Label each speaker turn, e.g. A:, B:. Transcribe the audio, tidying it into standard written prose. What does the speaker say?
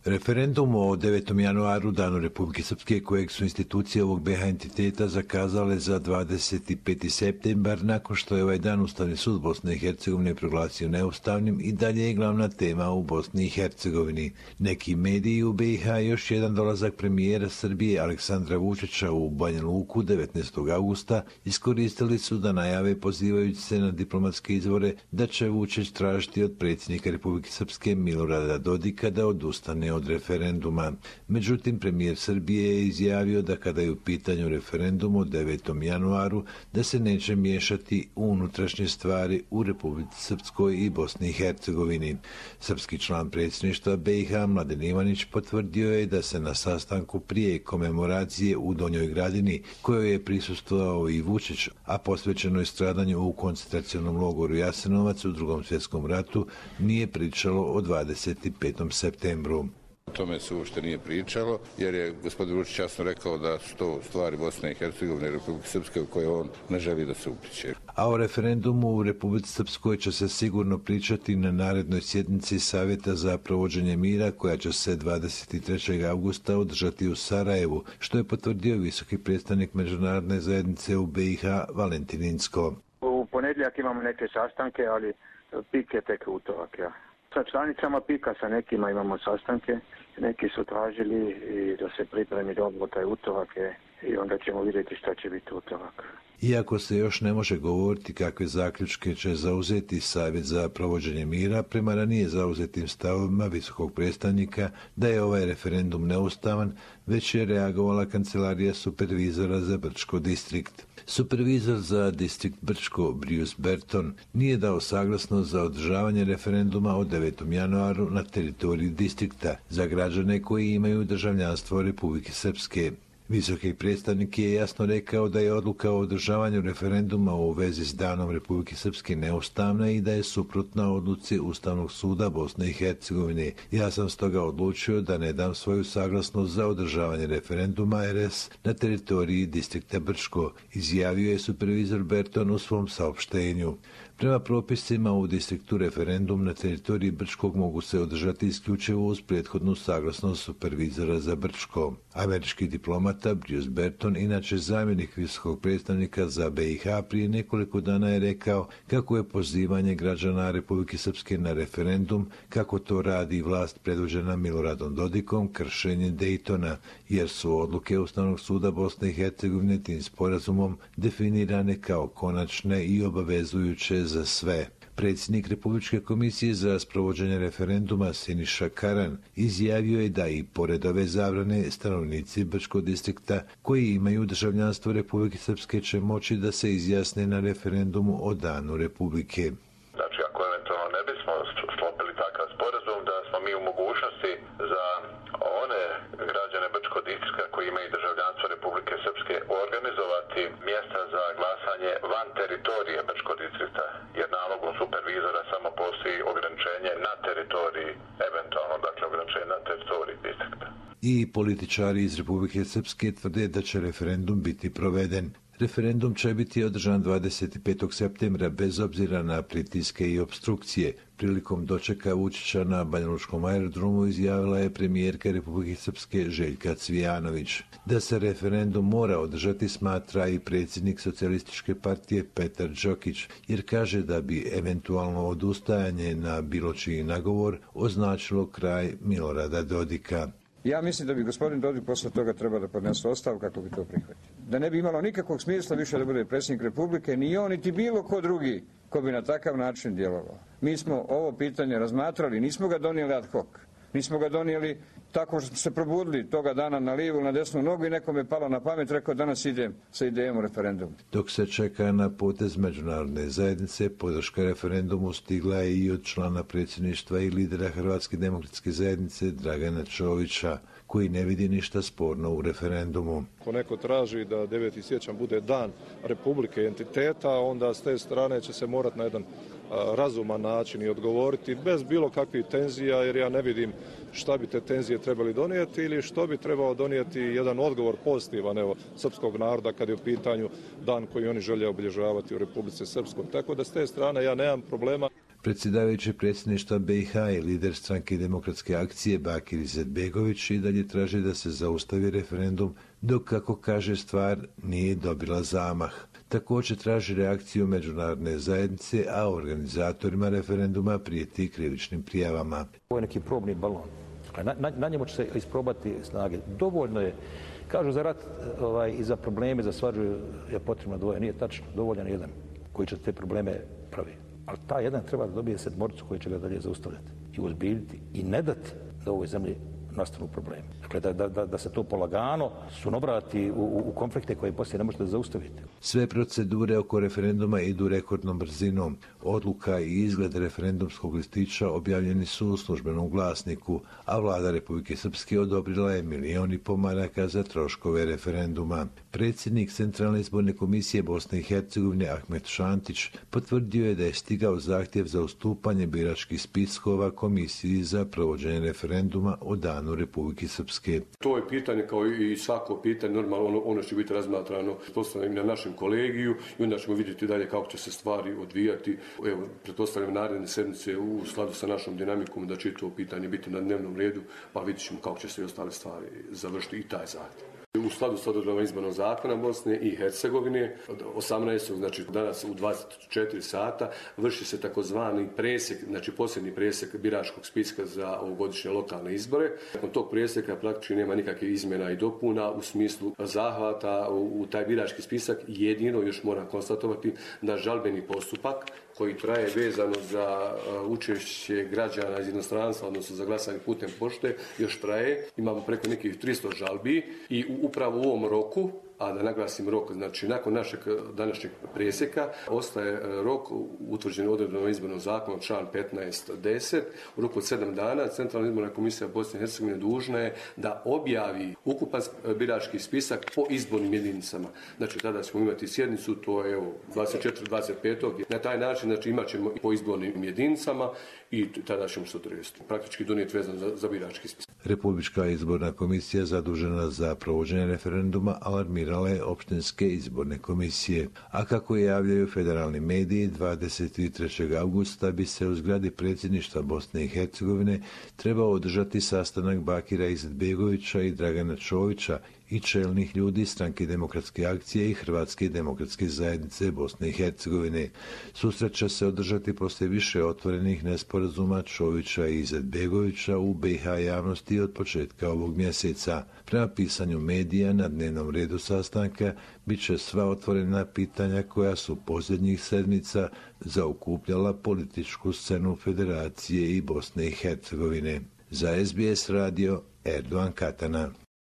A: Referendum o 9. januaru, danu Republike Srpske, kojeg su institucije ovog BiH entiteta zakazale za 25. septembar, nakon što je ovaj dan Ustavni sud Bosne i Hercegovine proglasio neustavnim, i dalje je glavna tema u Bosni i Hercegovini. Neki mediji u BiH još jedan dolazak premijera Srbije Aleksandra Vučića u Banja Luku 19. augusta iskoristili su da najave, pozivajući se na diplomatske izvore, da će Vučić tražiti od predsjednika Republike Srpske Milorada Dodika da odustane od referenduma. Međutim, premijer Srbije je izjavio da kada je u pitanju referendum o 9. januaru, da se neće miješati u unutrašnje stvari u Republici Srpskoj i Bosni i Hercegovini. Srpski član predsjedništva BiH Mladen Ivanić potvrdio je da se na sastanku prije komemoracije u Donjoj Gradini, kojoj je prisustvovao i Vučić, a posvećenoj stradanju u koncentracionom logoru Jasenovac u Drugom svjetskom ratu, nije pričalo o 25. septembru.
B: O tome se uopšte nije pričalo, jer je gospodin Vučić jasno rekao da su to stvari Bosne i Hercegovine i Republike Srpske u koje on ne želi da se upliće.
A: A o referendumu u Republici Srpskoj će se sigurno pričati na narednoj sjednici Savjeta za provođenje mira, koja će se 23. augusta održati u Sarajevu, što je potvrdio visoki predstavnik međunarodne zajednice u BiH Valentin Incko.
C: U ponedjeljak imamo neke sastanke, ali pik je tek utorak, ja. Sa članicama PIK-a, sa nekima imamo sastanke, neki su tražili i da se pripremi dobro taj utorak i onda ćemo vidjeti šta će biti utorak.
A: Iako se još ne može govoriti kakve zaključke će zauzeti Savjet za provođenje mira, prema ranije zauzetim stavovima visokog predstavnika da je ovaj referendum neustavan, već je reagovala kancelarija supervizora za Brčko distrikt. Supervizor za distrikt Brčko, Bruce Berton, nije dao saglasnost za održavanje referenduma o 9. januaru na teritoriji distrikta za građane koji imaju državljanstvo Republike Srpske. Visoki predstavnik je jasno rekao da je odluka o održavanju referenduma u vezi s danom Republike Srpske neustavna i da je suprotna odluci Ustavnog suda Bosne i Hercegovine. Ja sam stoga odlučio da ne dam svoju saglasnost za održavanje referenduma RS na teritoriji distrikta Brčko, izjavio je supervizor Berton u svom saopštenju. Prema propisima u distriktu referendum na teritoriji Brčkog mogu se održati isključivo uz prethodnu saglasnost supervizora za Brčko. Američki diplomata Bruce Berton, inače zamjenik visokog predstavnika za BiH, prije nekoliko dana je rekao kako je pozivanje građana Republike Srpske na referendum, kako to radi vlast predvođena Miloradom Dodikom, kršenje Dejtona, jer su odluke Ustavnog suda Bosne i Hercegovine tim sporazumom definirane kao konačne i obavezujuće za sve. Predsjednik Republičke komisije za sprovođenje referenduma Siniša Karan izjavio je da i pored ove zabrane stanovnici Brčkog distrikta koji imaju državljanstvo Republike Srpske će moći da se izjasne na referendumu o danu Republike.
D: Znači, ako eventualno ne bismo sklopili takav sporazum, da smo mi u mogućnosti za one građane Brčkog distrikta koji imaju državljanstvo Republike Srpske organizovati mjesta za glasanje van teritorije Brčkog distrikta, jer nalogom supervizora samo postoji ograničenje na teritoriji, eventualno, dakle, ograničenje na teritoriji distrikta.
A: I političari iz Republike Srpske tvrde da će referendum biti proveden. Referendum će biti održan 25. septembra bez obzira na pritiske i opstrukcije. Prilikom dočeka Vučića na Banjalučkom aerodromu izjavila je premijerka Republike Srpske Željka Cvijanović. Da se referendum mora održati smatra i predsjednik Socijalističke partije Petar Đokić, jer kaže da bi eventualno odustajanje na bilo čiji nagovor označilo kraj Milorada Dodika.
E: Ja mislim da bi gospodin Dodik posle toga trebao da podnese ostavku kako bi to prihvatio. Da ne bi imalo nikakvog smisla više da bude predsjednik Republike, ni on, niti bilo ko drugi ko bi na takav način djelovao. Mi smo ovo pitanje razmatrali, nismo ga donijeli ad hoc. Nismo ga donijeli tako što smo se probudili toga dana na lijevu, na desnu nogu i nekom je palo na pamet, rekao danas idem sa idejom u referendum.
A: Dok se čeka na potez međunarodne zajednice, podrška referendumu stigla je i od člana predsjedništva i lidera Hrvatske demokratske zajednice Dragana Čovića, koji ne vidi ništa sporno u referendumu.
F: Ako neko traži da 9. siječanj bude dan Republike entiteta, onda s te strane će se morati na jedan razuman način i odgovoriti bez bilo kakvih tenzija, jer ja ne vidim šta bi te tenzije trebali donijeti ili što bi trebao donijeti jedan odgovor pozitivan srpskog naroda kad je u pitanju dan koji oni žele obilježavati u Republici Srpskoj. Tako da s te strane ja nemam problema.
A: Predsjedavajući predsjedništva BiH i lider stranke Demokratske akcije Bakir Izetbegović i dalje traži da se zaustavi referendum dok, kako kaže, stvar nije dobila zamah. Također traži reakciju međunarodne zajednice, a organizatorima referenduma prijeti krivičnim prijavama.
G: Ovo je neki probni balon. Na njemu će se isprobati snage. Dovoljno je, kažu za rat i za probleme, za svađu je potrebno dvoje. Nije tačno, dovoljan jedan koji će te probleme pravi. Ali taj jedan treba da dobije sedmoricu koji će ga dalje zaustavljati i uzbiljiti i ne dati da u ovoj zemlji nastanu problemi. Dakle, da se to polagano sunobrati u konflikte koje poslije ne možete zaustaviti.
A: Sve procedure oko referenduma idu rekordnom brzinom. Odluka i izgled referendumskog listića objavljeni su u službenom glasniku, a vlada Republike Srpske odobrila je 1,5 miliona maraka za troškove referenduma. Predsjednik Centralne izborne komisije Bosne i Hercegovine Ahmet Šantić potvrdio je da je stigao zahtjev za ustupanje biračkih spiskova Komisiji za provođenje referenduma o danu Republike Srpske.
H: To je pitanje kao i svako pitanje, normalno ono će biti razmatrano postavljeno na našem kolegiju i onda ćemo vidjeti dalje kako će se stvari odvijati. Evo, pretpostavljam naredne sedmice u skladu sa našom dinamikom da će to pitanje biti na dnevnom redu, pa vidjet ćemo kako će se i ostale stvari završiti i taj zahtjev. U skladu s odredbama izbornog zakona Bosne i Hercegovine, 18. znači danas u 24 sata, vrši se takozvani presjek, znači posljednji presjek biračkog spiska za ovogodišnje lokalne izbore. Nakon tog presjeka praktički nema nikakvih izmjena i dopuna u smislu zahvata u taj birački spisak. Jedino još moram konstatovati da žalbeni postupak koji traje vezano za učešće građana iz inostranstva, odnosno za glasanje putem pošte, još traje. Imamo preko nekih 300 žalbi i upravo u ovom roku, a da naglasim rok, znači nakon našeg današnjeg presjeka, ostaje rok utvrđen odredbama izbornog zakona, član 15.10. U roku od 7 dana Centralna izborna komisija Bosne i Hercegovine dužna je da objavi ukupan birački spisak po izbornim jedinicama. Znači tada ćemo imati sjednicu, to je 24.25. Na taj način znači, imat ćemo i po izbornim jedinicama i tada ćemo se odrediti. Praktički donijeti vezano za birački spisak.
A: Republička izborna komisija zadužena za provođenje referenduma alarmirala je opštinske izborne komisije. A kako javljaju federalni mediji, 23. augusta bi se u zgradi predsjedništva Bosne i Hercegovine trebao održati sastanak Bakira Izetbegovića i Dragana Čovića i čelnih ljudi stranke Demokratske akcije i Hrvatske demokratske zajednice Bosne i Hercegovine. Susret će se održati poslije više otvorenih nesporazuma Čovića i Izetbegovića u BiH javnosti od početka ovog mjeseca. Prema pisanju medija na dnevnom redu sastanka bit će sva otvorena pitanja koja su posljednjih sedmica zaokupljala političku scenu Federacije i Bosne i Hercegovine. Za SBS radio Erdogan Katana.